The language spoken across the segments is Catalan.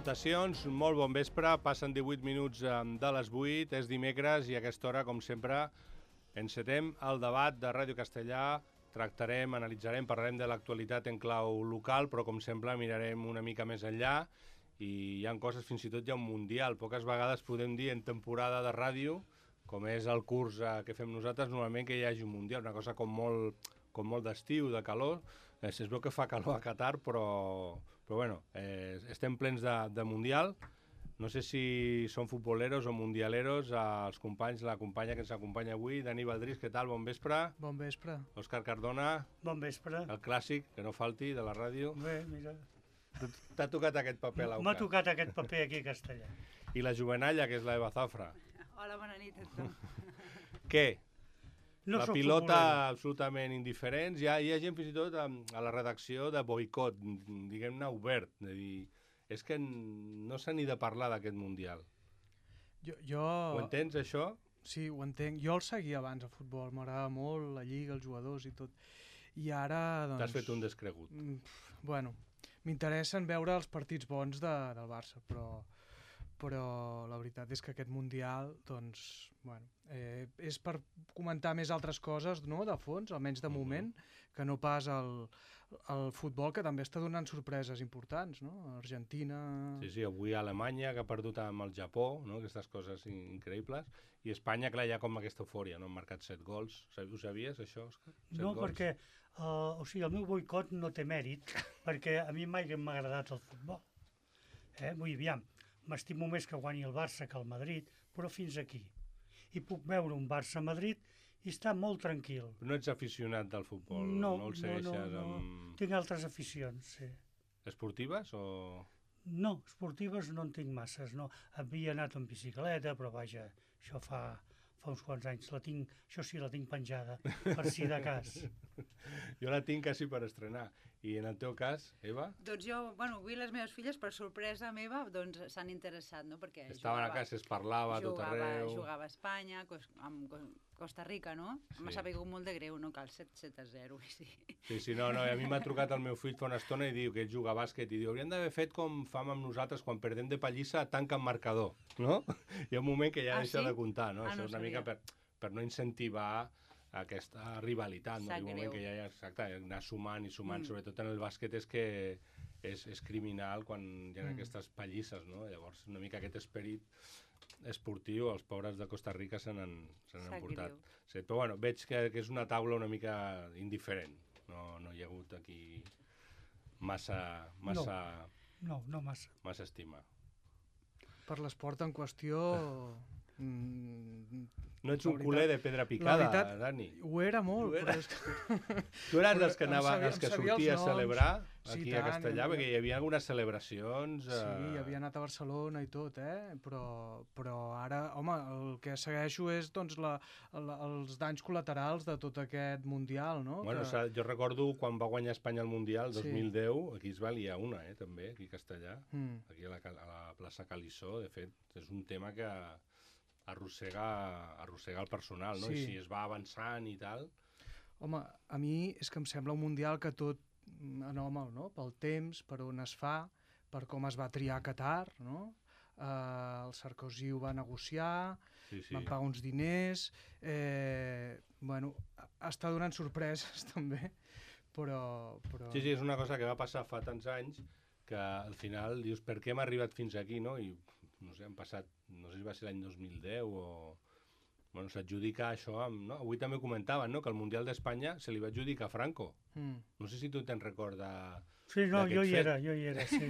Salutacions, molt bon vespre, passen 18 minuts de les 8, és dimecres i a aquesta hora, com sempre, encetem el debat de Ràdio Castellà, tractarem, analitzarem, parlarem de l'actualitat en clau local, però com sempre mirarem una mica més enllà i hi ha coses, fins i tot hi ha un mundial. Poques vegades podem dir en temporada de ràdio, com és el curs que fem nosaltres, normalment que hi hagi un mundial, una cosa com molt d'estiu, de calor. Es veu que fa calor a Qatar, però bueno, estem plens de mundial. No sé si són futboleros o mundialeros, els companys, la companya que ens acompanya avui, Dani Baldrís, què tal? Bon vespre. Bon vespre. Òscar Cardona. Bon vespre. El clàssic, que no falti, de la ràdio. Bé, mira. T'ha tocat aquest paper, l'Auca. M'ha tocat aquest paper aquí a Castellà. I la jovenalla, que és l'Eva Zafra. Hola, bona nit a tothom. Què? No la soc pilota futbolero. absolutament indiferents. Hi ha gent fins i tot a la redacció de boicot, diguem-ne obert, de dir, és que no s'ha ni de parlar d'aquest mundial. Ho entens, això? Sí, ho entenc. Jo el seguia abans, el futbol. M'agrada molt, la lliga, els jugadors i tot. I ara, doncs... T'has fet un descregut. Bueno, m'interessen veure els partits bons del Barça, però la veritat és que aquest Mundial, doncs, bueno, és per comentar més altres coses, no?, de fons, almenys de moment, que no pas el futbol, que també està donant sorpreses importants, no? Argentina... Sí, avui Alemanya, que ha perdut amb el Japó, no?, aquestes coses increïbles, i Espanya, clar, hi ha com aquesta eufòria, no?, han marcat 7 gols. Ho sabies, això, Òscar? No, perquè el meu boicot no té mèrit, perquè a mi mai m'ha agradat el futbol. Vull dir, aviam, m'estimo més que guanyi el Barça que el Madrid, però fins aquí. I puc veure un Barça-Madrid i estar molt tranquil. No ets aficionat del futbol? No, el segueixes no. Tinc altres aficions, sí. Esportives o...? No, esportives no en tinc masses, no. Havia anat en bicicleta, però vaja, això fa uns quants anys. Això sí, la tinc penjada, per si de cas. Jo la tinc quasi per estrenar. I en el teu cas, Eva? Doncs jo, avui les meves filles, per sorpresa meva, doncs s'han interessat, no?, perquè estaven a casa, es parlava a tot arreu... Jugava a Espanya, amb Costa Rica, no? Sí. M'ha sabut molt de greu, no cal 7-0, sí. Sí, no, a mi m'ha trucat el meu fill fa una estona i diu que ell juga a bàsquet i diu, hauríem d'haver fet com fam amb nosaltres quan perdem de pallissa, tanca en marcador, no? Hi ha un moment que ja deixa de comptar, no? Això és una mica per no incentivar aquesta rivalitat, no? Hi ha un moment que ja, exacte, anar sumant i sumant, sobretot en el bàsquet és que és criminal quan hi ha aquestes pallisses, no? Llavors, una mica aquest esperit esportiu, els pobres de Costa Rica se n'han portat. Sí, però bueno, veig que és una taula una mica indiferent. No hi ha hagut aquí massa... No massa. Massa estima. Per l'esport en qüestió... No ets un culer de pedra picada, Dani. Ho era molt. Però és Tu eres dels que sortia a celebrar aquí a Castellà, perquè hi havia algunes celebracions... Sí, havia anat a Barcelona i tot, però ara, home, el que segueixo és doncs, els danys col·laterals de tot aquest Mundial, no? Bueno, jo recordo quan va guanyar Espanya el Mundial, 2010, aquí es va liar una, també, aquí a Castellà, aquí a la plaça Calissó, de fet, és un tema que... arrossegar el personal, no? Sí. I si es va avançant i tal... Home, a mi és que em sembla un mundial que tot anòmal, no? Pel temps, per on es fa, per com es va triar Qatar, no? El Sarkozy ho va negociar, van pagar uns diners... Bueno, està donant sorpreses, també, però... Sí, és una cosa que va passar fa tants anys que al final dius, per què hem arribat fins aquí, no? I no sé, han passat, no sé si va ser l'any 2010 o... Bueno, s'adjudica això amb... No? Avui també comentaven, no?, que el Mundial d'Espanya se li va adjudicar a Franco. No sé si tu te'n recordes... Sí, no, jo hi era, sí.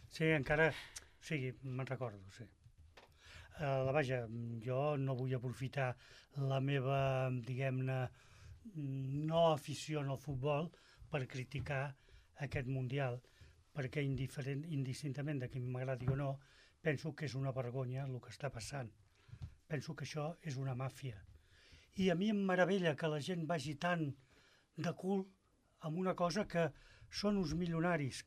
Sí, encara... Sí, me'n recordo, sí. Vaja, jo no vull aprofitar la meva, diguem-ne, no afició al futbol per criticar aquest Mundial, perquè indistintament de qui m'agradi o no, penso que és una vergonya el que està passant. Penso que això és una màfia. I a mi em meravella que la gent vagi tan de cul amb una cosa que són uns milionaris,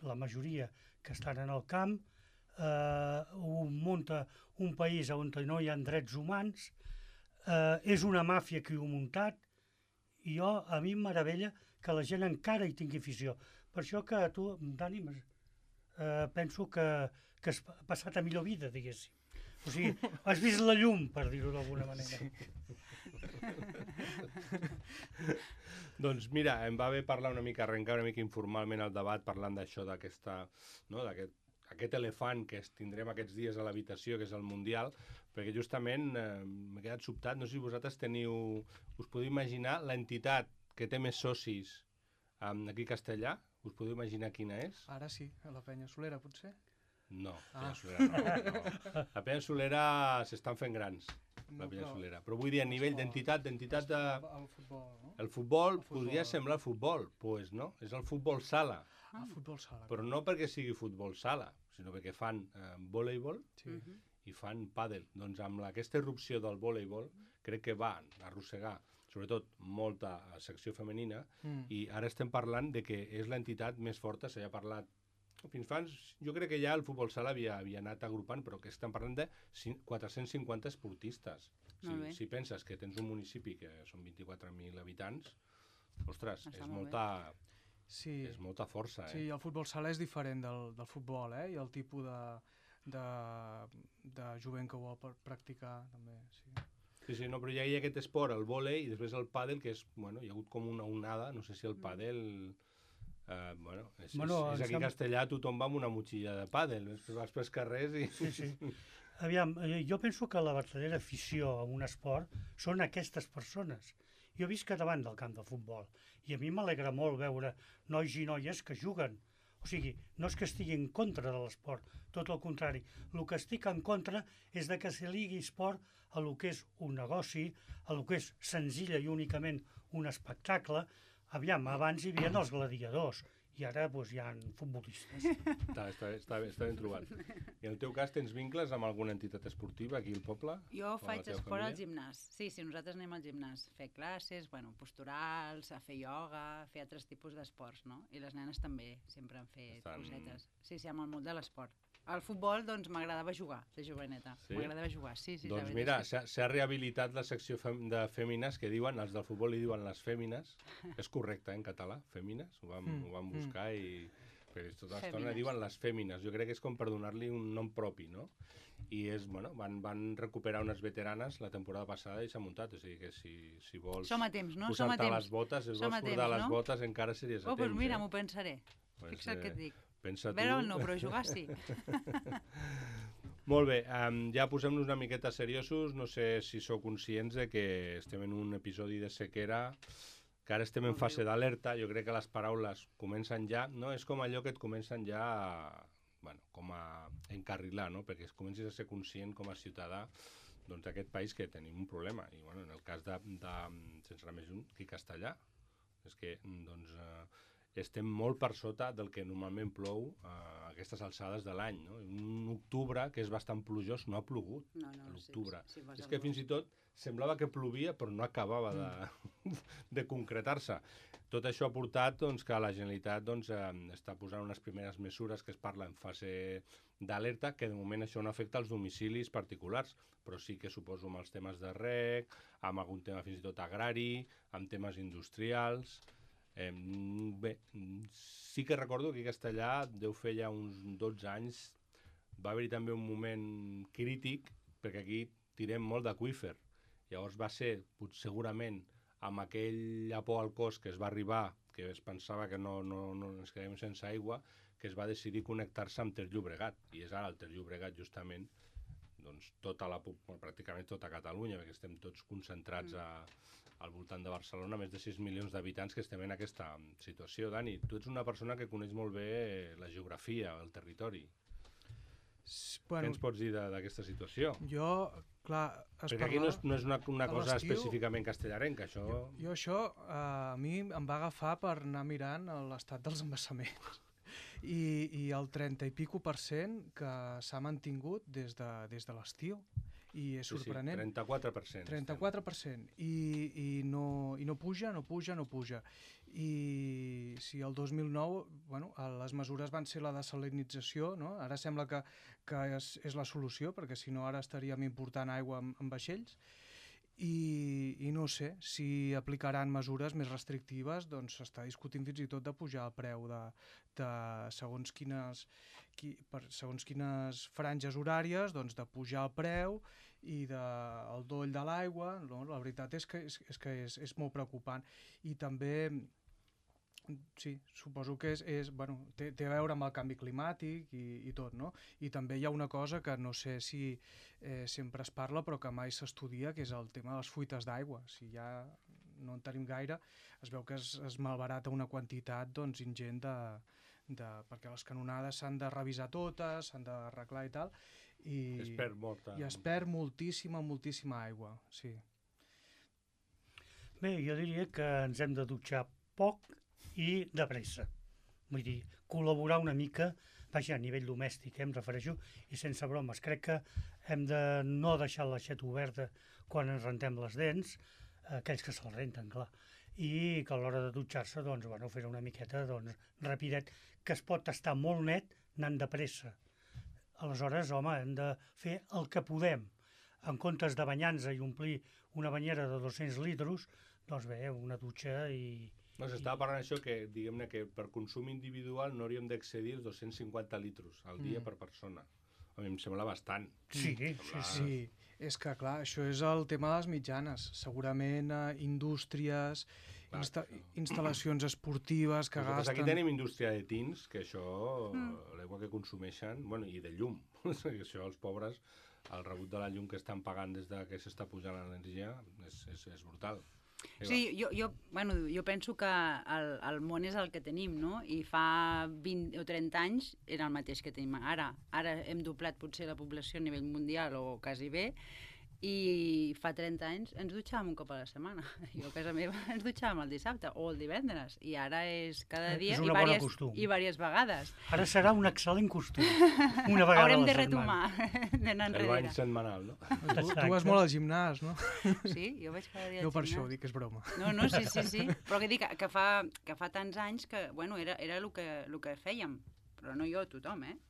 la majoria que estan en el camp, ho munta un país on no hi ha drets humans, és una màfia que ho ha muntat, i a mi em meravella que la gent encara hi tingui afició. Per això que tu, Dani, penso que has passat a millor vida, diguéssim. O sigui, has vist la llum, per dir-ho d'alguna manera. Doncs mira, em va bé parlar una mica, arrencar una mica informalment el debat parlant d'això, d'aquesta, no, aquest elefant que tindrem aquests dies a l'habitació, que és el Mundial, perquè justament m'he quedat sobtat, no sé si vosaltres us podeu imaginar l'entitat que té més socis aquí a Castellà, us podeu imaginar quina és? Ara sí, a la Penya Solera, potser? No, Peñasolera no. La Peñasolera s'estan fent grans, la Peñasolera. Però vull dir, a nivell d'entitat de... El futbol, no? El futbol podria semblar futbol, pues no, és el futbol sala. El futbol sala. Però no perquè sigui futbol sala, sinó perquè fan voleibol i fan pàdel. Doncs amb aquesta irrupció del voleibol crec que van arrossegar sobretot molta secció femenina i ara estem parlant de que és l'entitat més forta, s'ha parlat fins fa, jo crec que ja el futbol sala havia anat agrupant, però que estem parlant de 450 esportistes. Si penses que tens un municipi que són 24.000 habitants, ostres, és molta força. Sí, el futbol sala és diferent del futbol, i el tipus de jovent que ho vol practicar, també, sí. Sí, no, però hi ha aquest esport, el vòlei, i després el pàdel, que és, hi ha haut com una onada, no sé si el pàdel... és aquí a Castellà tothom va amb una motxilla de pàdel, vas pels carrers i... Sí. Aviam, jo penso que la verdadera afició a un esport són aquestes persones. Jo visc davant del camp de futbol i a mi m'alegra molt veure nois i noies que juguen. O sigui, no és que estigui en contra de l'esport, tot el contrari. El que estic en contra és de que se ligui esport a lo que és un negoci, a lo que és senzilla i únicament un espectacle. Aviam, abans hi havia els gladiadors i ara hi ha futbolistes. Està ben trobat. I en el teu cas tens vincles amb alguna entitat esportiva aquí al poble? Jo faig esport al gimnàs. Sí, nosaltres anem al gimnàs. Fer classes, posturals, a fer ioga, a fer altres tipus d'esports, no? I les nenes també, sempre han fet cosetes. Sí, amb el món de l'esport. Al futbol, doncs, m'agradava jugar, de joveneta. M'agradava jugar, sí. Doncs mira, s'ha rehabilitat la secció de fèmines, que diuen, els del futbol li diuen les fèmines. És correcte, en català, fèmines? Ho vam buscar i... Perquè tota l'estona diuen les fèmines. Jo crec que és com per donar-li un nom propi, no? I van recuperar unes veteranes la temporada passada i s'ha muntat. O sigui que si vols posar-te les botes, si vols portar les botes, encara series a temps. Doncs mira, m'ho pensaré. Fixa't què et dic. Veure'l no, però jugar sí. Molt bé, ja posem-nos una miqueta seriosos. No sé si sou conscients de que estem en un episodi de sequera, que ara estem en fase d'alerta. Jo crec que les paraules comencen ja, no? És com allò que et comencen ja com a encarrilar, no? Perquè comencis a ser conscient com a ciutadà d'aquest país que tenim un problema. I en el cas de sense anar més lluny, aquí a Castellà, és que estem molt per sota del que normalment plou a aquestes alçades de l'any, no? Un octubre que és bastant plujós no ha plogut a l'octubre. És que fins i tot semblava que plovia però no acabava de concretar-se. Tot això ha portat que la Generalitat està posant unes primeres mesures que es parla en fase d'alerta, que de moment això no afecta als domicilis particulars, però sí que suposo amb els temes de reg, amb algun tema fins i tot agrari, amb temes industrials... Bé, sí que recordo que a Castellà deu fer ja uns 12 anys va haver-hi també un moment crític perquè aquí tirem molt d'aqüífer. Llavors va ser, segurament, amb aquell por al cos que es va arribar, que es pensava que no ens quedem sense aigua, que es va decidir connectar-se amb Ter Llobregat. I és ara el Ter Llobregat, justament, pràcticament tota Catalunya, perquè estem tots concentrats al voltant de Barcelona, més de 6 milions d'habitants que estem en aquesta situació. Dani, tu ets una persona que coneix molt bé la geografia, el territori. Què ens pots dir d'aquesta situació? Jo, clar... Perquè aquí no és una cosa específicament castellarenca, això... Jo això, a mi em va agafar per anar mirant l'estat dels embassaments. I el 30 i pico % que s'ha mantingut des de l'estiu. I és sorprenent. Sí, 34%. 34%. I no puja. I si el 2009, les mesures van ser la desalinització, no? Ara sembla que és la solució, perquè si no ara estaríem important aigua en vaixells, i no no sé, si aplicaran mesures més restrictives, doncs s'està discutint fins i tot de pujar el preu de segons quines franges horàries, doncs de pujar el preu i el doll de l'aigua, no? La veritat és que és molt preocupant. I també, sí, suposo que té a veure amb el canvi climàtic i tot, no? I també hi ha una cosa que no sé si sempre es parla però que mai s'estudia, que és el tema de les fuites d'aigua. Si ja no en tenim gaire, es veu que es malbarata una quantitat ingent perquè les canonades s'han de revisar totes, s'han d'arreglar i tal, i es perd moltíssima aigua, sí. Bé, jo diria que ens hem de dutxar poc i de pressa. Vull dir, col·laborar una mica, vaja, a nivell domèstic, em refereixo, i sense bromes. Crec que hem de no deixar l'aixeta oberta quan ens rentem les dents, aquells que se'l renten, clar, i que a l'hora de dutxar-se, doncs, bueno, fer una miqueta, doncs, rapidet, que es pot estar molt net anant de pressa. Aleshores, home, hem de fer el que podem. En comptes de banyar-nos i omplir una banyera de 200 litros, doncs bé, una dutxa i... No, s'estava parlant això que, diguem-ne, que per consum individual no hauríem d'excedir els 250 litros al dia per persona. A mi em sembla bastant. Sí. És que, clar, això és el tema de les mitjanes. Segurament indústries, instal·lacions esportives que gasten... Aquí tenim indústria de tins, que això, l'aigua que consumeixen, bueno, i de llum. Això, els pobres, el rebut de la llum que estan pagant des que s'està pujant l'energia és brutal. Sí, jo penso que el món és el que tenim, no? I fa 20 o 30 anys era el mateix que tenim ara. Ara hem doblat potser la població a nivell mundial o quasi bé, i fa 30 anys ens dutxàvem un cop a la setmana. Jo a casa meva ens dutxàvem el dissabte o el divendres, i ara és cada dia i diverses vegades. Ara serà un excel·lent costum, una vegada Haurem a la de setmana. retomar, d'anar enrere. El bany setmanal, no? Tu vas molt al gimnàs, no? Sí, jo vaig cada dia al no per gimnàs. això, dic que és broma. No, sí. Però que dic que fa tants anys que, bueno, era el que fèiem, però no jo, tothom, eh?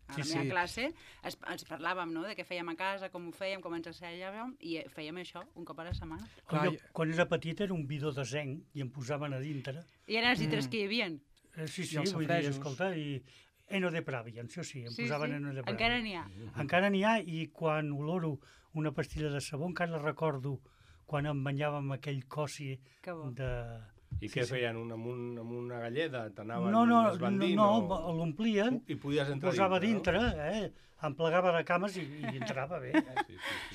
A la meva classe ens parlàvem, no?, de què fèiem a casa, com ho fèiem, com ens assajàvem, i fèiem això un cop a la setmana. Quan era petit era un bidó de zinc i em posaven a dintre. I eren els litres que hi havia. Sí, vull dir, escolta, i Eno de Pravi, això sí, em posaven Eno de Pravi. Encara n'hi ha. Encara n'hi ha, i quan oloro una pastilla de sabó encara recordo quan em banyàvem aquell cossi de... I què feien? Amb una galleda? T'anaven esbandint? No, l'omplien, i podies entrar posava dintre, em plegava de cames i entrava bé.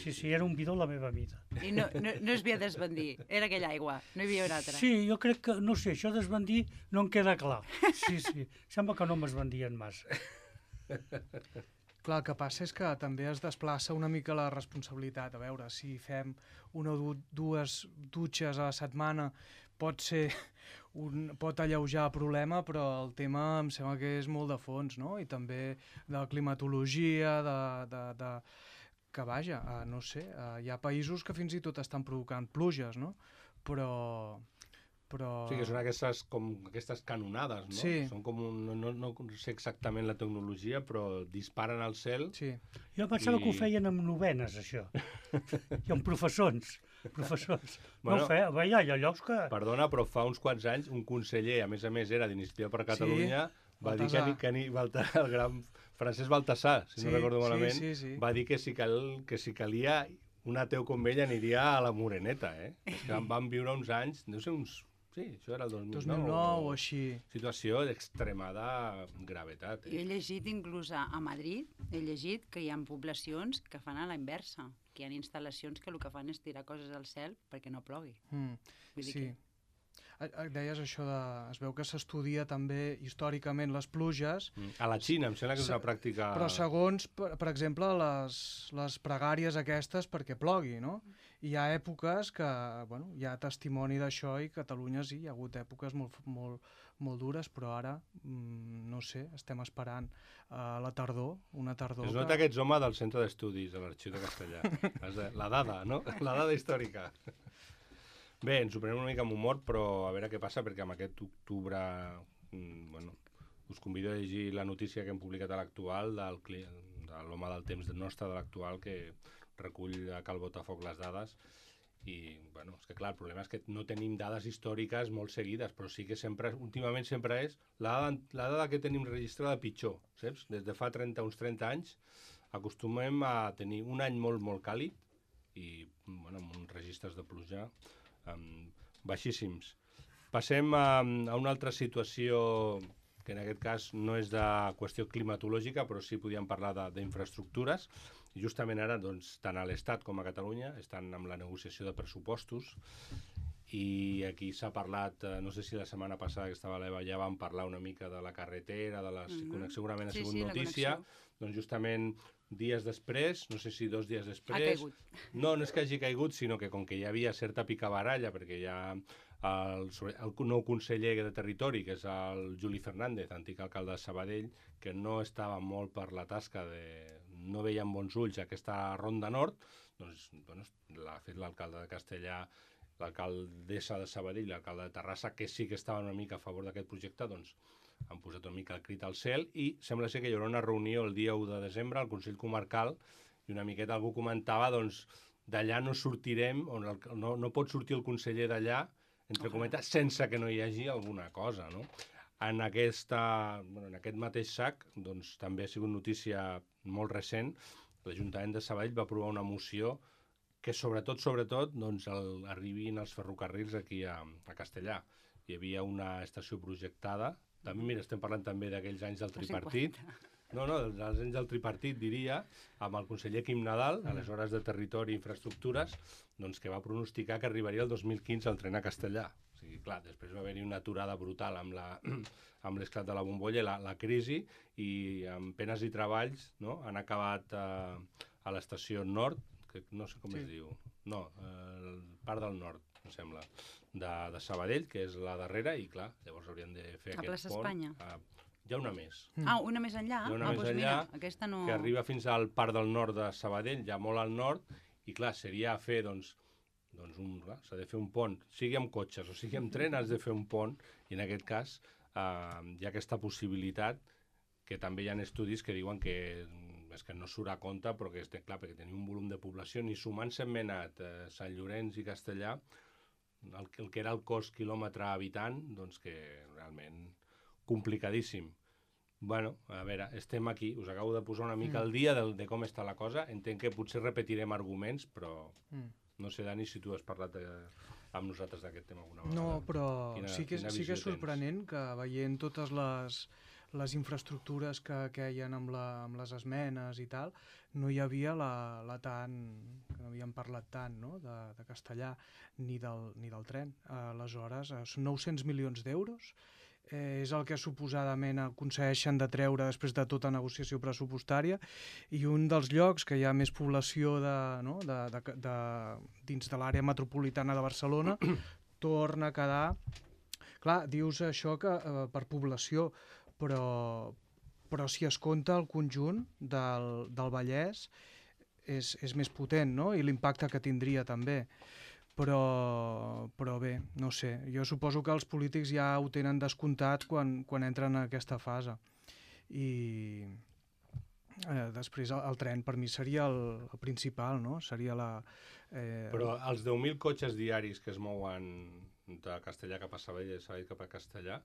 Sí, era un bidó a la meva mida. I no es havia d'esbandir, era aquella aigua, no hi havia una altra. Sí, jo crec que, no sé, això d'esbandir no em queda clar. Sí, sembla que no m'esbandien massa. Clar, el que passa és que també es desplaça una mica la responsabilitat. A veure, si fem una o dues dutxes a la setmana pot alleujar el problema, però el tema em sembla que és molt de fons, no? I també de climatologia, que vaja, no sé, hi ha països que fins i tot estan provocant pluges, no? Però... Sí, que són aquestes canonades, no? Sí. Són com no sé exactament la tecnologia, però disparen al cel. Sí. Jo pensava que ho feien amb novenes, això. I amb professors. No ho feia, hi ha llocs que... Perdona, però fa uns quants anys un conseller, a més era d'Iniciativa per Catalunya, va dir que el gran Francesc Baltasar, si no recordo malament, va dir que si calia un ateu com ell aniria a la Moreneta, És que van viure uns anys, no sé, sí, això era el 2009 o així. Situació d'extremada gravetat. Jo he llegit inclús a Madrid, que hi ha poblacions que fan a la inversa, que hi ha instal·lacions que el que fan és tirar coses al cel perquè no plogui. Sí. Deies això es veu que s'estudia també històricament les pluges. A la Xina, em sembla que és una pràctica... Però segons, per exemple, les pregàries aquestes perquè plogui, no? Hi ha èpoques que, bueno, hi ha testimoni d'això, i Catalunya sí, hi ha hagut èpoques molt dures, però ara, no sé, estem esperant la tardor, una tardor... Es nota que ets home del Centre d'Estudis, de l'Arxiu de Castellà. La dada, no? La dada històrica. Bé, ens ho prenem una mica amb humor, però a veure què passa, perquè amb aquest octubre, us convido a llegir la notícia que hem publicat a l'Actual de l'home del temps nostre de l'Actual, que recull a cal botafoc les dades, i, bueno, és que clar, el problema és que no tenim dades històriques molt seguides, però sí que sempre, últimament sempre és la dada que tenim registrada pitjor, saps? Des de fa uns 30 anys acostumem a tenir un any molt, molt càlid i, bueno, amb uns registres de pluja baixíssims. Passem a una altra situació que en aquest cas no és de qüestió climatològica, però sí podíem parlar d'infraestructures. I justament ara, doncs, tant a l'Estat com a Catalunya estan amb la negociació de pressupostos i aquí s'ha parlat, no sé si la setmana passada que estava a l'EVA ja vam parlar una mica de la carretera, de la connexió, segurament ha sigut notícia, doncs justament dies després, no sé si 2 dies després... Ha caigut. No és que hagi caigut, sinó que com que hi havia certa picabaralla, perquè hi ha el nou conseller de Territori, que és el Juli Fernández, antic alcalde de Sabadell, que no estava molt per la tasca no veia amb bons ulls aquesta ronda nord, doncs bueno, l'ha fet l'alcalde de Castellà, l'alcaldessa de Sabadell i l'alcalde de Terrassa, que sí que estaven una mica a favor d'aquest projecte, doncs han posat una mica el crit al cel i sembla ser que hi haurà una reunió el dia 1 de desembre al Consell Comarcal i una miqueta algú comentava, doncs, d'allà no sortirem, no pot sortir el conseller d'allà, entre cometes, sense que no hi hagi alguna cosa, no? En aquest mateix sac, doncs, també ha sigut notícia molt recent, l'Ajuntament de Sabadell va aprovar una moció que sobretot, doncs, arribin els ferrocarrils aquí a Castellà. Hi havia una estació projectada, també, mira, estem parlant també d'aquells anys del tripartit, dels anys del tripartit, diria, amb el conseller Quim Nadal, aleshores de Territori i Infraestructures, doncs que va pronosticar que arribaria el 2015 el tren a Castellà. O sigui, clar, després va haver-hi una aturada brutal amb l'esclat de la bombolla, la crisi, i amb penes i treballs han acabat a l'estació nord, que no sé com es diu, el Parc del Nord, em sembla, de Sabadell, que és la darrera, i clar, llavors haurien de fer aquest pont. A Plaça Espanya? Hi ha una més. Una més enllà? Hi ha una més enllà, aquesta no... que arriba fins al Parc del Nord de Sabadell, ja molt al nord, i clar, seria fer, s'ha de fer un pont, sigui amb cotxes o sigui amb tren, has de fer un pont, i en aquest cas hi ha aquesta possibilitat, que també hi ha estudis que diuen que és que no surt a compte, però que clar, perquè tenim un volum de població, ni sumant Sentmenat, Sant Llorenç i Castellà, el que era el cost quilòmetre habitant, doncs que realment complicadíssim. Bueno, a veure, estem aquí, us acabo de posar una mica al dia de com està la cosa, entenc que potser repetirem arguments, però no sé, Dani, si tu has parlat amb nosaltres d'aquest tema alguna vegada. No, però sí que és sorprenent que veient totes les infraestructures que queien amb les esmenes i tal, no hi havia que no havíem parlat tant, no?, de Castellà ni del tren. Aleshores, són 900 milions d'euros, és el que suposadament aconsegueixen de treure després de tota negociació pressupostària, i un dels llocs que hi ha més població dins de l'àrea metropolitana de Barcelona torna a quedar... Clar, dius això que per població, però si es compta el conjunt del Vallès és més potent, no?, i l'impacte que tindria també. Però bé, no sé, jo suposo que els polítics ja ho tenen descomptat quan entren en aquesta fase. I després el tren per mi seria el principal, no? Seria Però els 10.000 cotxes diaris que es mouen de Castellà cap a Sabadell i de Sabadell cap a Castellà,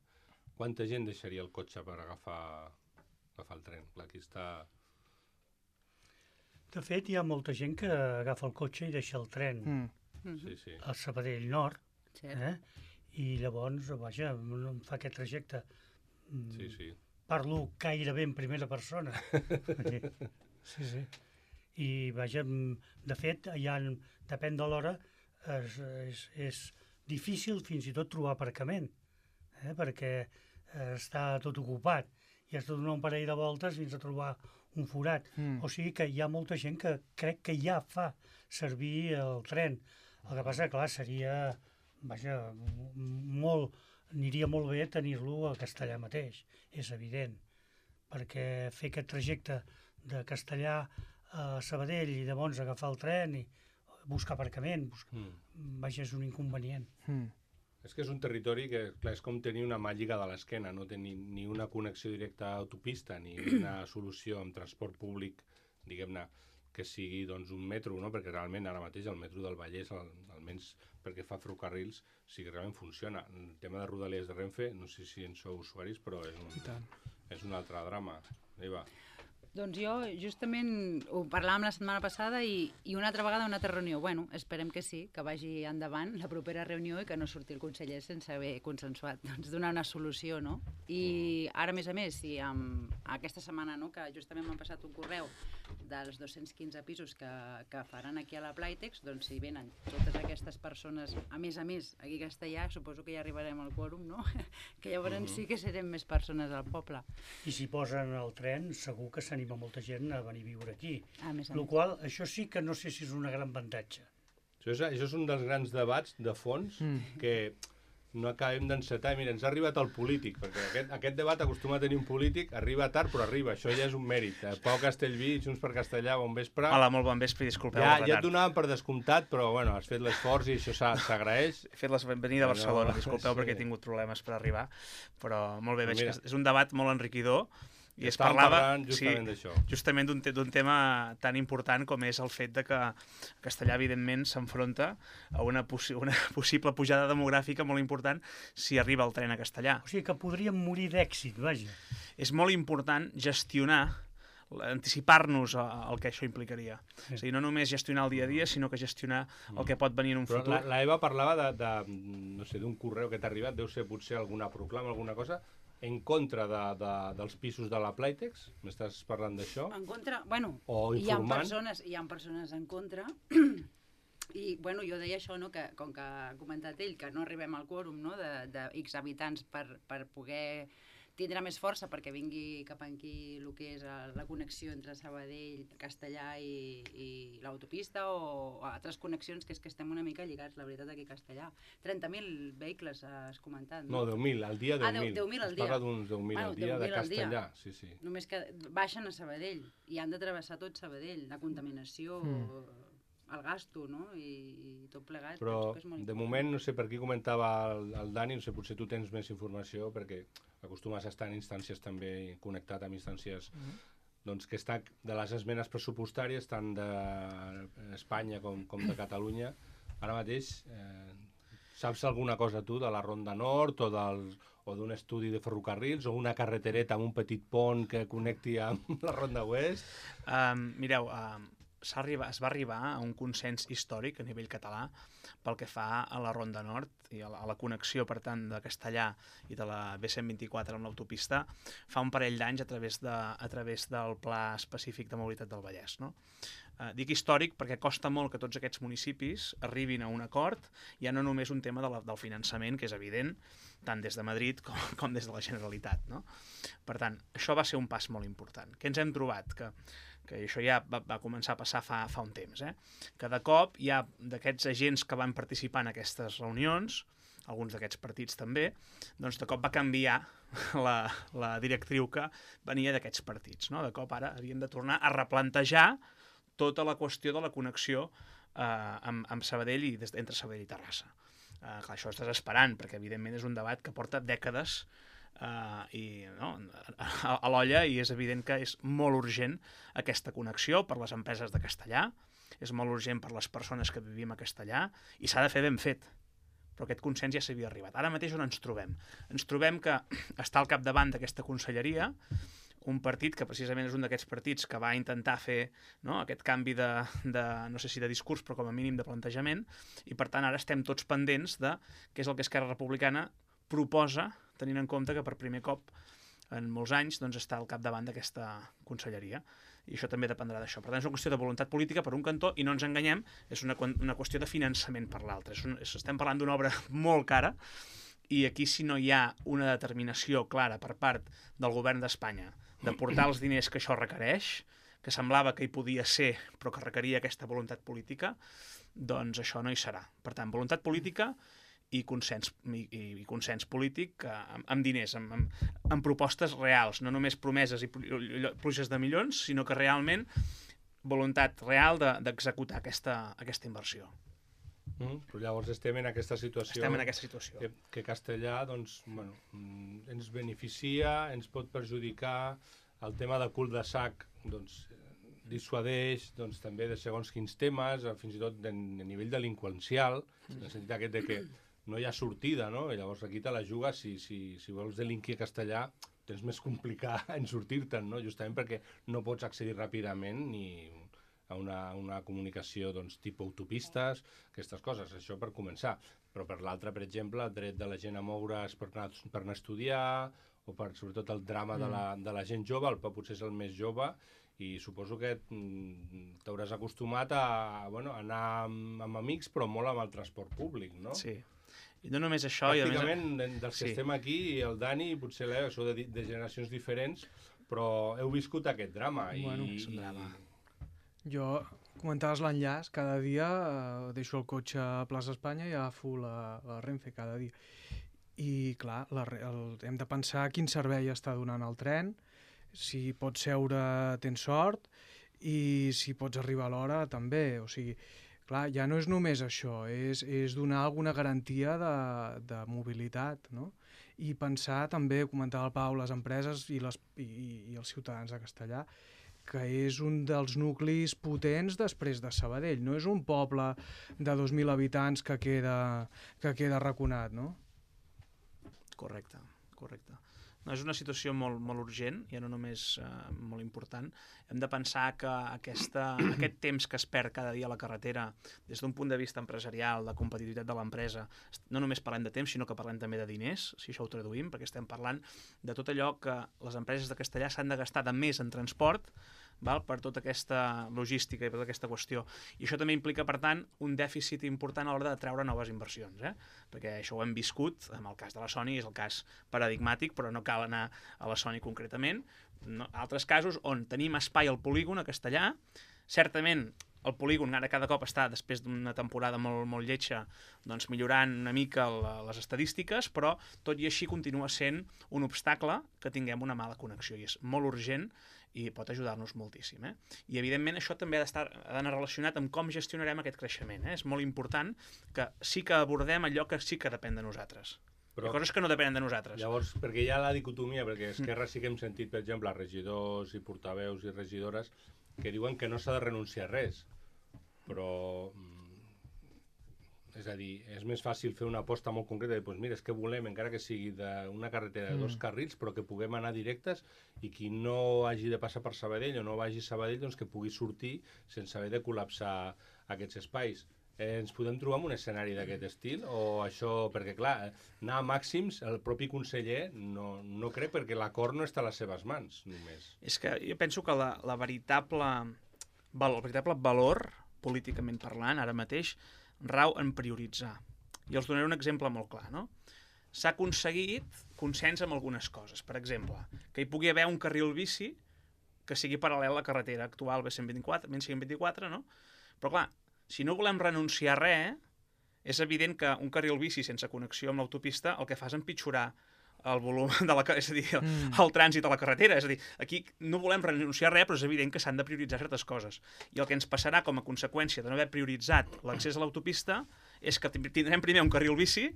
quanta gent deixaria el cotxe per agafar el tren? Clar, aquí està... De fet, hi ha molta gent que agafa el cotxe i deixa el tren a Sabadell Nord, i llavors, vaja, em fa aquest trajecte. Parlo gairebé en primera persona. Sí. I, vaja, de fet, depèn de l'hora, és difícil fins i tot trobar aparcament, perquè està tot ocupat i has de donar un parell de voltes fins a trobar un forat. O sigui que hi ha molta gent que crec que ja fa servir el tren. El que passa, clar, seria, vaja, aniria molt bé tenir-lo a Castellà mateix, és evident, perquè fer aquest trajecte de Castellà a Sabadell i llavors agafar el tren i buscar aparcament, vaja, és un inconvenient. És que és un territori que, clar, és com tenir una mà lligada a l'esquena, no té ni una connexió directa a autopista ni una solució amb transport públic, diguem-ne, que sigui doncs, un metro, no? Perquè realment ara mateix el metro del Vallès, almenys perquè fa ferrocarrils, sí que realment funciona. El tema de Rodalies de Renfe, no sé si en sou usuaris, però és un altre drama. Eva. Doncs jo justament ho parlàvem la setmana passada i una altra vegada una altra reunió. Bueno, esperem que sí, que vagi endavant la propera reunió i que no surti el conseller sense haver consensuat, doncs donar una solució, no? I ara, a més, si aquesta setmana, no, que justament m'han passat un correu dels 215 pisos que faran aquí a la Playtex, doncs si venen totes aquestes persones, a més, aquí a Castellà, suposo que ja arribarem al quòrum, no? Que llavors sí que serem més persones al poble. I si posen el tren, segur que s'anima molta gent a venir a viure aquí. Lo qual, això sí que no sé si és un gran avantatge. Això és un dels grans debats de fons que no acabem d'encetar. Mira, ens ha arribat el polític, perquè aquest debat acostuma a tenir un polític, arriba tard però arriba, això ja és un mèrit. Pau Castellví, Junts per Castellà, bon vespre. Hola, molt bon vespre, disculpeu el retard. Ja et donàvem per descomptat, però bueno, has fet l'esforç i això s'agraeix. He fet venida a Barcelona, disculpeu perquè he tingut problemes per arribar, però molt bé, veig que és un debat molt enriquidor. I es parlava justament d'un tema tan important com és el fet de que Castellà, evidentment, s'enfronta a una possible pujada demogràfica molt important si arriba el tren a Castellà. O sigui que podríem morir d'èxit, vaja. És molt important gestionar, anticipar-nos al que això implicaria. És a dir, no només gestionar el dia a dia, sinó que gestionar el que pot venir en un futur. La Eva parlava d'un correu que t'ha arribat, deu ser potser alguna proclama, alguna cosa, en contra dels pisos de la Playtex? M'estàs parlant d'això? En contra? Bueno, hi ha persones en contra i bueno, jo deia això, no? Que com que ha comentat ell, que no arribem al quòrum, no? de X habitants per poder tindrà més força perquè vingui cap aquí el que és la connexió entre Sabadell, Castellà i l'autopista o altres connexions, que és que estem una mica lligats, la veritat, aquí a Castellà. 30.000 vehicles, has comentat, no? No, 10.000, al dia 10.000. 10.000 al dia. Es parla d'uns 10.000 al dia de Castellà, sí. Només que baixen a Sabadell i han de travessar tot Sabadell, la contaminació, el gasto, no? I tot plegat. Però de moment, no sé, per aquí comentava el Dani, no sé, potser tu tens més informació perquè acostumes a estar en instàncies també connectat amb instàncies doncs que està de les esmenes pressupostàries tant d'Espanya com de Catalunya. Ara mateix saps alguna cosa tu de la Ronda Nord o d'un estudi de ferrocarrils o una carretereta amb un petit pont que connecti amb la Ronda Oest? Mireu, es va arribar a un consens històric a nivell català pel que fa a la Ronda Nord i a la connexió, per tant, de Castellà i de la B124 amb l'autopista fa un parell d'anys a través del Pla Específic de Mobilitat del Vallès, no? Dic històric perquè costa molt que tots aquests municipis arribin a un acord, ja no només un tema del finançament, que és evident, tant des de Madrid com des de la Generalitat, no? Per tant, això va ser un pas molt important. Què ens hem trobat? Que això ja va començar a passar fa un temps, que de cop hi ha d'aquests agents que van participar en aquestes reunions, alguns d'aquests partits també, doncs de cop va canviar la directriu que venia d'aquests partits, no? De cop ara havien de tornar a replantejar tota la qüestió de la connexió amb Sabadell i entre Sabadell i Terrassa. Clar, això és desesperant, perquè evidentment és un debat que porta dècades a l'olla i és evident que és molt urgent aquesta connexió per les empreses de Castellà, és molt urgent per les persones que vivim a Castellà i s'ha de fer ben fet. Però aquest consens ja s'havia arribat. Ara mateix on ens trobem? Ens trobem que està al capdavant d'aquesta conselleria un partit que precisament és un d'aquests partits que va intentar fer aquest canvi no sé si de discurs, però com a mínim de plantejament, i per tant ara estem tots pendents de què és el que Esquerra Republicana proposa, tenint en compte que per primer cop en molts anys està al capdavant d'aquesta conselleria. I això també dependrà d'això. Per tant, és una qüestió de voluntat política per un cantó, i no ens enganyem, és una qüestió de finançament per l'altre. Estem parlant d'una obra molt cara, i aquí si no hi ha una determinació clara per part del govern d'Espanya de portar els diners que això requereix, que semblava que hi podia ser, però que requeria aquesta voluntat política, doncs això no hi serà. Per tant, voluntat política i consens polític amb diners, amb propostes reals, no només promeses i pluges de milions, sinó que realment voluntat real d'executar aquesta inversió. Però llavors estem en aquesta situació. Estem en aquesta situació. Que Castellà, doncs, bueno, ens beneficia, ens pot perjudicar. El tema de cul de sac, doncs, dissuadeix doncs, també de segons quins temes, fins i tot de nivell delinqüencial, en el sentit aquest de que no hi ha sortida, no? I llavors aquí te la jugues, si vols delinquir castellà, tens més complicat en sortir-te'n, no? Justament perquè no pots accedir ràpidament ni a una comunicació doncs, tipus autopistes, aquestes coses, això per començar. Però per l'altre, per exemple, el dret de la gent a moure's per anar a estudiar, o per, sobretot, el drama de la gent jove, el potser és el més jove, i suposo que t'hauràs acostumat a anar amb amics, però molt amb el transport públic, no? Sí. I no només això... Pràcticament, dels que estem aquí, el Dani, potser sou de generacions diferents, però heu viscut aquest drama. És un drama. Jo, comentaves l'enllaç, cada dia deixo el cotxe a Plaça Espanya i agafo la Renfe cada dia. I, clar, hem de pensar quin servei està donant el tren, si pots seure tens sort, i si pots arribar a l'hora també. O sigui, clar, ja no és només això, és donar alguna garantia de mobilitat, no? I pensar també, comentava el Pau, les empreses i els ciutadans de Castellar, que és un dels nuclis potents després de Sabadell. No és un poble de 2.000 habitants que queda arraconat, no? Correcte. No, és una situació molt, molt urgent, ja no només molt important. Hem de pensar que aquest temps que es perd cada dia a la carretera, des d'un punt de vista empresarial, de competitivitat de l'empresa, no només parlem de temps, sinó que parlem també de diners, si això ho traduïm, perquè estem parlant de tot allò que les empreses de Castellar s'han de gastar de més en transport, per tota aquesta logística i per tota aquesta qüestió. I això també implica, per tant, un dèficit important a l'hora de treure noves inversions, perquè això ho hem viscut, en el cas de la Sony és el cas paradigmàtic, però no cal anar a la Sony concretament. Altres casos on tenim espai al polígon a Castellar, certament el polígon ara cada cop està, després d'una temporada molt lletja, doncs millorant una mica les estadístiques, però tot i així continua sent un obstacle que tinguem una mala connexió, i és molt urgent i pot ajudar-nos moltíssim. I, evidentment, això també ha d'anar relacionat amb com gestionarem aquest creixement. És molt important que sí que abordem allò que sí que depèn de nosaltres. Però, hi ha coses que no depenen de nosaltres. Llavors, perquè hi ha la dicotomia, perquè Esquerra sí que hem sentit, per exemple, regidors i portaveus i regidores que diuen que no s'ha de renunciar a res, però és a dir, és més fàcil fer una aposta molt concreta de, doncs mira, és que volem, encara que sigui d'una carretera de 2 carrils, però que puguem anar directes i qui no hagi de passar per Sabadell o no vagi a Sabadell, doncs que pugui sortir sense haver de col·lapsar aquests espais. Ens podem trobar en un escenari d'aquest estil? O això, perquè clar, anar a màxims, el propi conseller no crec, perquè l'acord no està a les seves mans, només. És que jo penso que el veritable valor, políticament parlant, ara mateix, rau en prioritzar. I els donaré un exemple molt clar, no? S'ha aconseguit consens amb algunes coses. Per exemple, que hi pugui haver un carril bici que sigui paral·lel a la carretera actual B124, no? Però clar, si no volem renunciar a res, és evident que un carril bici sense connexió amb l'autopista el que fa és empitjorar el volum és a dir, el trànsit a la carretera. És a dir, aquí no volem renunciar a res, però és evident que s'han de prioritzar certes coses. I el que ens passarà com a conseqüència de no haver prioritzat l'accés a l'autopista és que tindrem primer un carril bici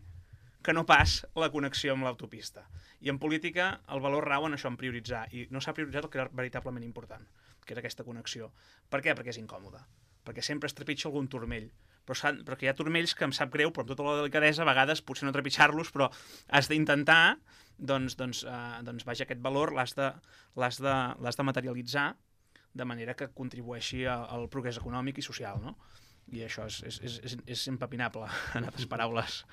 que no pas la connexió amb l'autopista. I en política el valor rau en això, en prioritzar. I no s'ha prioritzat el que era veritablement important, que era aquesta connexió. Per què? Perquè és incòmode. Perquè sempre es trepitja algun turmell. Però que hi ha turmells que em sap greu, però amb tota la delicadesa, a vegades potser no trepitjar-los, però has d'intentar, doncs vaja, aquest valor l'has de materialitzar de manera que contribueixi al progrés econòmic i social, no? I això és impepinable, en altres paraules.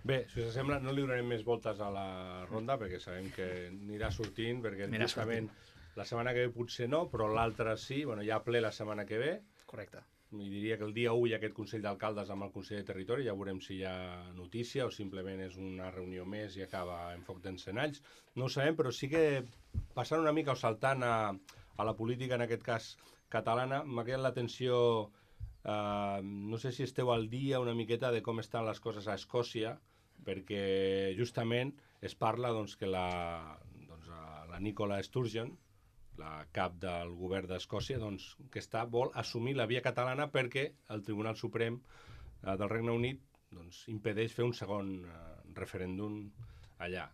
Bé, si us sembla, no li donarem més voltes a la ronda, perquè sabem que anirà sortint, perquè justament la setmana que ve potser no, però l'altra sí, hi ha ple la setmana que ve. Correcte. I diria que el dia 1 hi ha aquest Consell d'Alcaldes amb el Conseller de Territori, ja veurem si hi ha notícia o simplement és una reunió més i acaba en foc d'encenalls. No ho sabem, però sí que passant una mica o saltant a la política, en aquest cas catalana, m'ha quedat l'atenció, no sé si esteu al dia una miqueta de com estan les coses a Escòcia, perquè justament es parla que la Nicola Sturgeon, la cap del govern d'Escòcia, que vol assumir la via catalana perquè el Tribunal Suprem del Regne Unit impedeix fer un segon referèndum allà.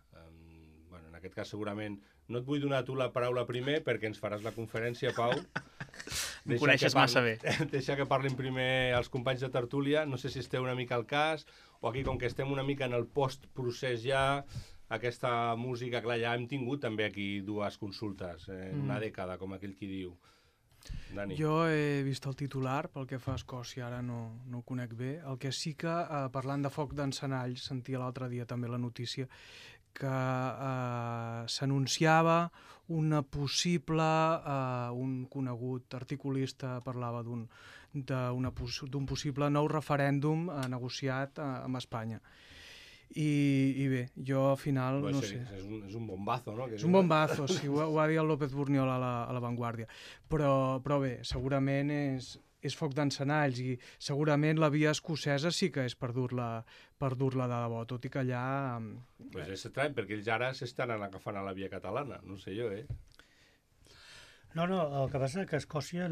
En aquest cas segurament no et vull donar tu la paraula primer perquè ens faràs la conferència, Pau, Em coneixes massa bé. Deixa que parlin primer els companys de tertúlia. No sé si esteu una mica al cas, o aquí, com que estem una mica en el post-procés ja, aquesta música, clar, ja hem tingut també aquí dues consultes, en una dècada, com aquell qui diu. Dani. Jo he vist el titular, pel que fa a Escòcia, ara no ho conec bé. El que sí que, parlant de foc d'encenalls, sentia l'altre dia també la notícia que s'anunciava una possible, un conegut articulista parlava d'un possible nou referèndum negociat amb Espanya. I bé, jo al final no sé. És un bombazo, no? És un bombazo, sí, ho ha dit el López Burniol a la Vanguardia. Però bé, segurament és foc d'encenalls i segurament la via escocesa sí que és per dur-la de debò, tot i que allà... Pues és estrany, perquè ells ara s'estan agafant a la via catalana, no sé jo, No, el que passa que a Escòcia,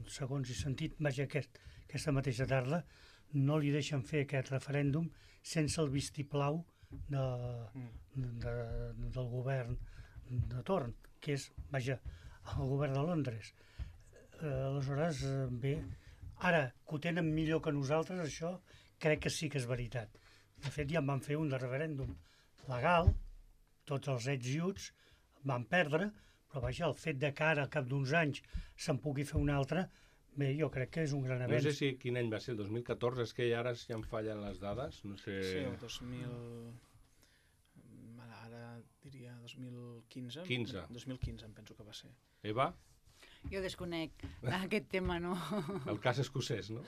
segons he sentit, vaja, aquesta mateixa tarda, no li deixen fer aquest referèndum sense el vistiplau del govern de torn, que és, vaja, el govern de Londres. Aleshores, bé, ara que ho tenen millor que nosaltres, això crec que sí que és veritat. De fet, ja en van fer un de referèndum legal, tots els ets i uts van perdre, però vaja, el fet de que ara, al cap d'uns anys, se'n pugui fer un altre, bé, jo crec que és un gran avenç. No sé quin any va ser, el 2014, és que ara ja em fallen les dades, no sé... Sí, el 2000... Ara diria 2015. 2015 em penso que va ser. Eva? Jo desconec aquest tema, no? El cas escocès, no?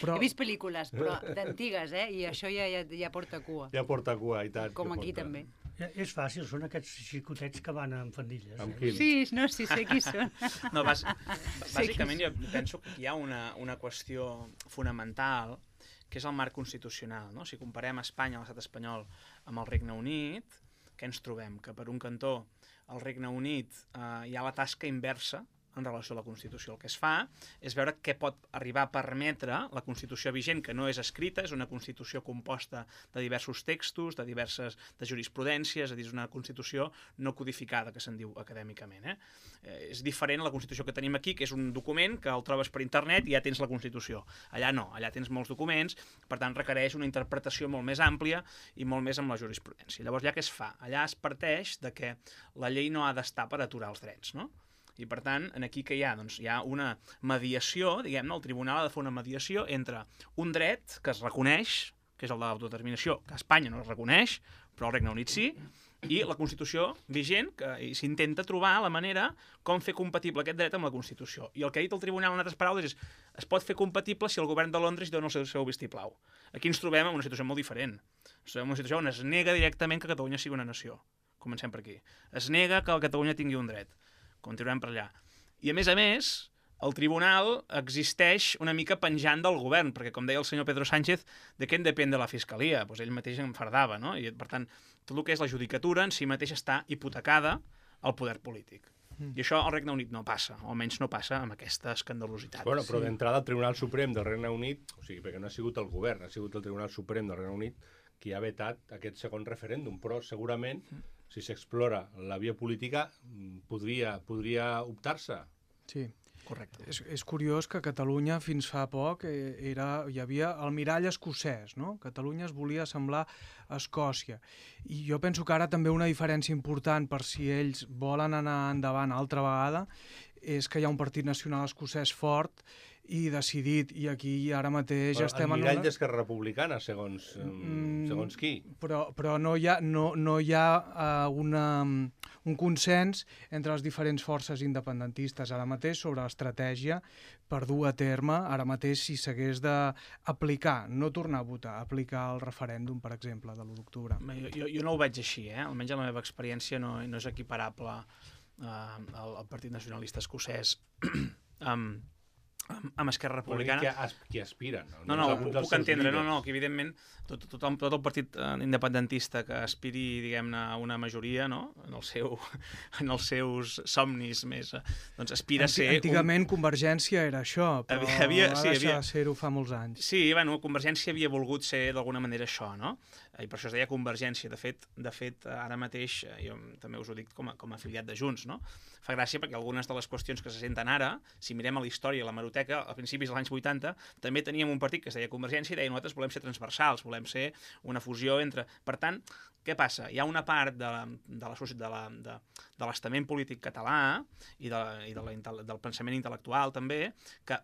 He vist pel·lícules, però d'antigues, i això ja porta cua. Ja porta cua, i tant. Com aquí també. És fàcil, són aquests xicotets que van amb fandilles. Amb quins? Sí, no, sí sé qui són. No, bàsicament jo penso que hi ha una qüestió fonamental, que és el marc constitucional, no? Si comparem Espanya, l'estat espanyol, amb el Regne Unit, què ens trobem? Que per un cantó al Regne Unit hi ha la tasca inversa en relació a la Constitució. El que es fa és veure què pot arribar a permetre la Constitució vigent, que no és escrita, és una Constitució composta de diversos textos, de jurisprudències, és a dir, és una Constitució no codificada, que se'n diu acadèmicament. És diferent a la Constitució que tenim aquí, que és un document que el trobes per internet i ja tens la Constitució. Allà no, allà tens molts documents, per tant requereix una interpretació molt més àmplia i molt més amb la jurisprudència. Llavors, allà què es fa? Allà es parteix de que la llei no ha d'estar per aturar els drets, no? I, per tant, aquí què hi ha? Doncs hi ha una mediació, diguem-ne, el tribunal ha de fer una mediació entre un dret que es reconeix, que és el de l'autodeterminació, que a Espanya no es reconeix, però al Regne Unit sí, i la Constitució vigent, que s'intenta trobar la manera com fer compatible aquest dret amb la Constitució. I el que ha dit el tribunal, en altres paraules, és es pot fer compatible si el govern de Londres dona el seu vistiplau. Aquí ens trobem en una situació molt diferent. Ens trobem en una situació on es nega directament que Catalunya sigui una nació. Comencem per aquí. Es nega que Catalunya tingui un dret. Continuem per allà. I, a més, el tribunal existeix una mica penjant del govern, perquè, com deia el senyor Pedro Sánchez, de què en depèn de la fiscalia? Doncs ell mateix enfardava, no? I, per tant, tot el que és la judicatura en si mateix està hipotecada al poder polític. I això al Regne Unit no passa, o almenys no passa amb aquesta escandalositat. Bueno, però d'entrada el Tribunal Suprem del Regne Unit, o sigui, perquè no ha sigut el govern, ha sigut el Tribunal Suprem del Regne Unit qui ha vetat aquest segon referèndum, però segurament si s'explora la via política, podria optar-se. Sí. Correcte. És curiós que a Catalunya fins fa poc hi havia el mirall escocès, no? Catalunya es volia assemblar a Escòcia. I jo penso que ara també una diferència important per si ells volen anar endavant altra vegada és que hi ha un partit nacional escocès fort i decidit, i aquí ara mateix estem en una... El mirall d'Esquerra Republicana, segons qui? Però no hi ha un consens entre les diferents forces independentistes ara mateix sobre l'estratègia per dur a terme, ara mateix, si s'hagués d'aplicar, no tornar a votar, aplicar el referèndum, per exemple, de l'1 d'octubre. Jo no ho veig així, almenys la meva experiència no és equiparable al Partit Nacionalista Escocès amb Esquerra Republicana. Qui aspiren. No, puc entendre, que evidentment tot el partit independentista que aspiri, diguem-ne, a una majoria, no?, en els seus somnis més, doncs aspira a ser... Antigament Convergència era això, però va deixar de ser-ho fa molts anys. Sí, bueno, Convergència havia volgut ser d'alguna manera això, no?, i per això es deia Convergència. De fet, ara mateix, jo també us ho dic com a afiliat de Junts, no?, fa gràcia perquè algunes de les qüestions que se senten ara, si mirem a la història, a la hemeroteca, a principis dels anys 80, també teníem un partit que es deia Convergència i deia nosaltres volem ser transversals, volem ser una fusió entre... Per tant, què passa? Hi ha una part de l'estament polític català i del pensament intel·lectual també que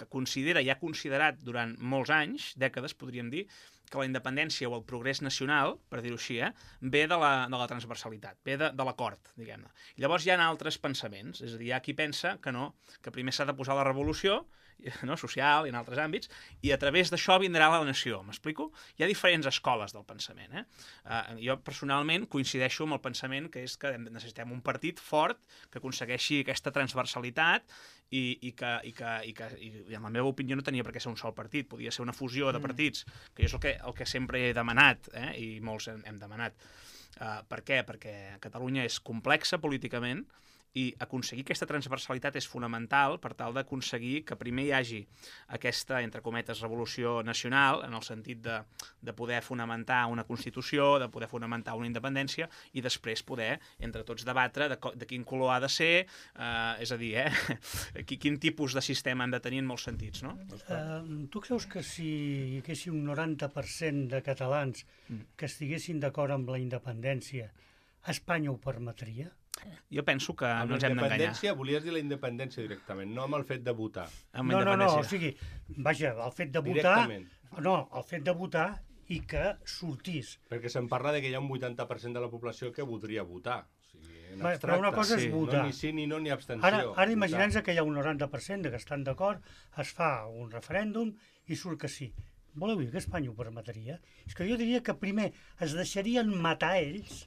considera i ha considerat durant molts anys, dècades podríem dir, que la independència o el progrés nacional, per dir-ho així, ve de la transversalitat, ve de l'acord, diguem-ne. Llavors hi ha altres pensaments, és a dir, hi ha qui pensa que no, que primer s'ha de posar la revolució, no, social i en altres àmbits, i a través d'això vindrà la nació, m'explico? Hi ha diferents escoles del pensament. Jo personalment coincideixo amb el pensament que és que necessitem un partit fort que aconsegueixi aquesta transversalitat i en la meva opinió no tenia per què ser un sol partit, podia ser una fusió de partits, que és el que sempre he demanat, i molts hem demanat. Per què? Perquè Catalunya és complexa políticament, i aconseguir aquesta transversalitat és fonamental per tal d'aconseguir que primer hi hagi aquesta, entre cometes, revolució nacional, en el sentit de poder fonamentar una Constitució, de poder fonamentar una independència, i després poder, entre tots, debatre de quin color ha de ser, és a dir, quin tipus de sistema hem de tenir en molts sentits, no? Tu creus que si hi hagués un 90% de catalans que estiguessin d'acord amb la independència, Espanya ho permetria? Jo penso que no ens hem d'enganyar. Amb la independència, volies dir la independència directament, no amb el fet de votar. No, o sigui, vaja, el fet de votar... Directament. No, el fet de votar i que sortís. Perquè se'n parla de que hi ha un 80% de la població que voldria votar. O sigui, en abstracte. Però una cosa és votar. No, ni sí, ni no, ni abstenció. Ara imaginem que hi ha un 90% que estan d'acord, es fa un referèndum i surt que sí. Voleu dir que Espanya ho permetria? És que jo diria que primer es deixarien matar ells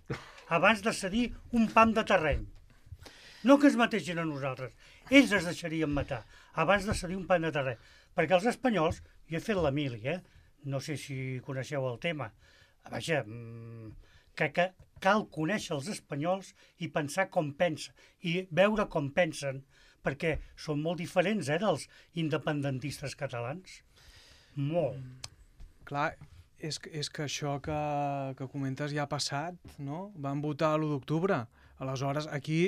abans de cedir un pam de terreny. No que es mateixin a nosaltres. Ells es deixarien matar abans de cedir un pam de terreny. Perquè els espanyols, jo he fet la mili, no sé si coneixeu el tema, vaja, que cal conèixer els espanyols i pensar com pensa, i veure com pensen, perquè són molt diferents dels independentistes catalans. Molt. Clar, és que això que comentes ja ha passat, no? Van votar l'1 d'octubre. Aleshores, aquí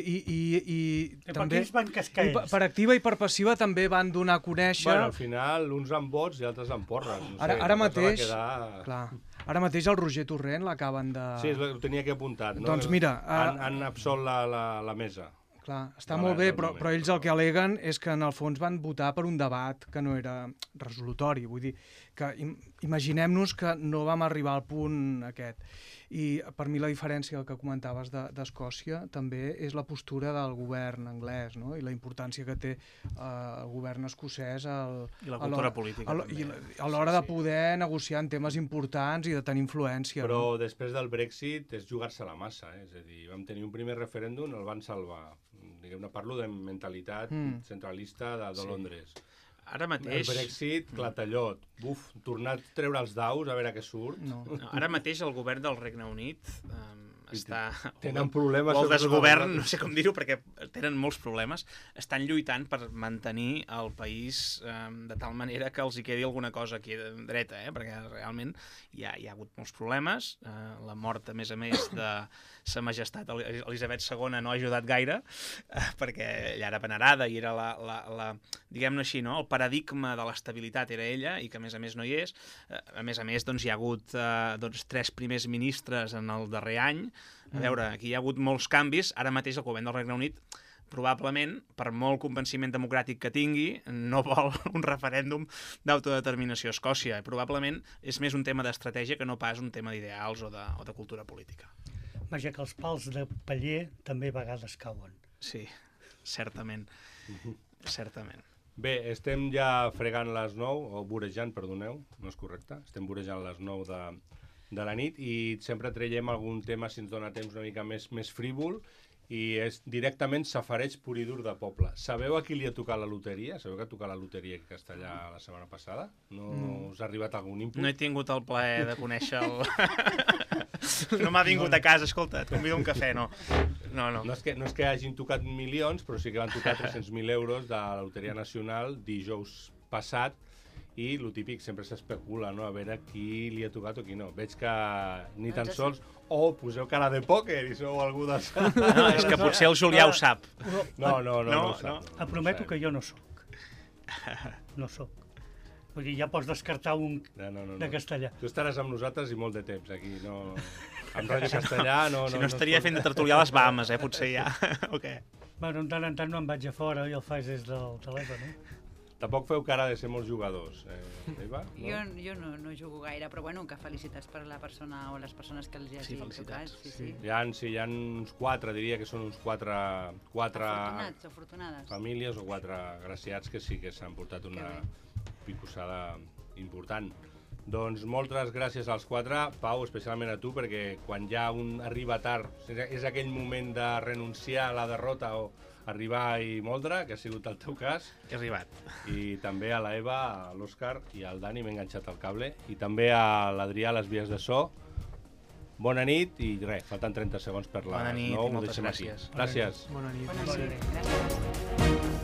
també... Per activa i per passiva també van donar a conèixer... Bueno, al final, uns amb vots i altres amb porres. No sé, ara mateix... Clar, ara mateix el Roger Torrent l'acaben de... Sí, ho tenia que apuntat, no? Doncs mira... Han absolt la mesa. Clar, està molt bé, però ells el que al·leguen és que en el fons van votar per un debat que no era resolutori. Vull dir, que imaginem-nos que no vam arribar al punt aquest. I per mi la diferència que comentaves d'Escòcia també és la postura del govern anglès, no? I la importància que té el govern escocès i la cultura política a l'hora de poder negociar en temes importants i de tenir influència. Però després del Brexit és jugar-se la massa, és a dir, vam tenir un primer referèndum, el van salvar. Diguem-ne, parlo de mentalitat centralista de Londres. Ara mateix... El Brexit, clatallot. Tornar a treure els daus, a veure què surt. No, ara mateix el govern del Regne Unit està... Tenen problemes... O el desgovern, no sé com dir-ho, perquè tenen molts problemes. Estan lluitant per mantenir el país de tal manera que els hi quedi alguna cosa aquí dreta, perquè realment hi ha hagut molts problemes. La mort, a més, de Sa Majestat Elisabet II no ha ajudat gaire, perquè ella era venerada i era diguem-ne així, no? El paradigma de l'estabilitat era ella i que, a més, no hi és. A més, doncs, hi ha hagut 3 primers ministres en el darrer any. A veure, aquí hi ha hagut molts canvis. Ara mateix el govern del Regne Unit probablement, per molt convenciment democràtic que tingui, no vol un referèndum d'autodeterminació a Escòcia. Probablement és més un tema d'estratègia que no pas un tema d'ideals o de cultura política. Vaja, que els pals de paller també a vegades cauen. Sí, certament. Certament. Bé, estem ja fregant les 9, o vorejant, perdoneu, no és correcte, estem vorejant les 9 de la nit i sempre traiem algun tema, si ens dona temps, una mica més frívol i és directament safareig pur i dur de poble. Sabeu a qui li ha tocat la loteria? Sabeu que ha tocat la loteria aquí a Castellà la setmana passada? No us ha arribat algun input? No he tingut el plaer de conèixer el... No m'ha vingut a casa, escolta, et convido a un cafè, no. No és que hagin tocat milions, però sí que van tocar 300.000 euros de la Loteria Nacional dijous passat, i el típic sempre s'especula, no? A veure qui li ha tocat o qui no. Veig que ni tan sols... O poseu cara de pòquer i sou algú de... No, és que potser el Julià ho sap. No ho sap. Et prometo que jo no sóc. No sóc. Vull dir, ja pots descartar un de Castellà. Tu estaràs amb nosaltres i molt de temps aquí, no... Amb Ràdio Castellà no... Si no estaria fent de tertulià a les Bahames, potser ja. O què? Bueno, de tant en tant no em vaig a fora i el faig des del telèfon, eh? Tampoc feu cara de ser molts jugadors, Eva? No? Jo no jugo gaire, però bueno, que felicitats per la persona o les persones que els hagi tocat. Sí. Hi ha uns 4, diria que són uns 4 afortunats o afortunades. Famílies o 4 graciats que sí que s'han portat una picossada important. Doncs moltes gràcies als 4, Pau, especialment a tu, perquè quan ja un arriba tard, és aquell moment de renunciar a la derrota o arribar i moldre, que ha sigut el teu cas. He arribat. I també a la Eva, a l'Òscar i al Dani, m'he enganxat al cable. I també a l'Adrià, a les vies de so. Bona nit i res, falten 30 segons per les 9. Bona nit i moltes gràcies. Gràcies. Bona nit. Gràcies.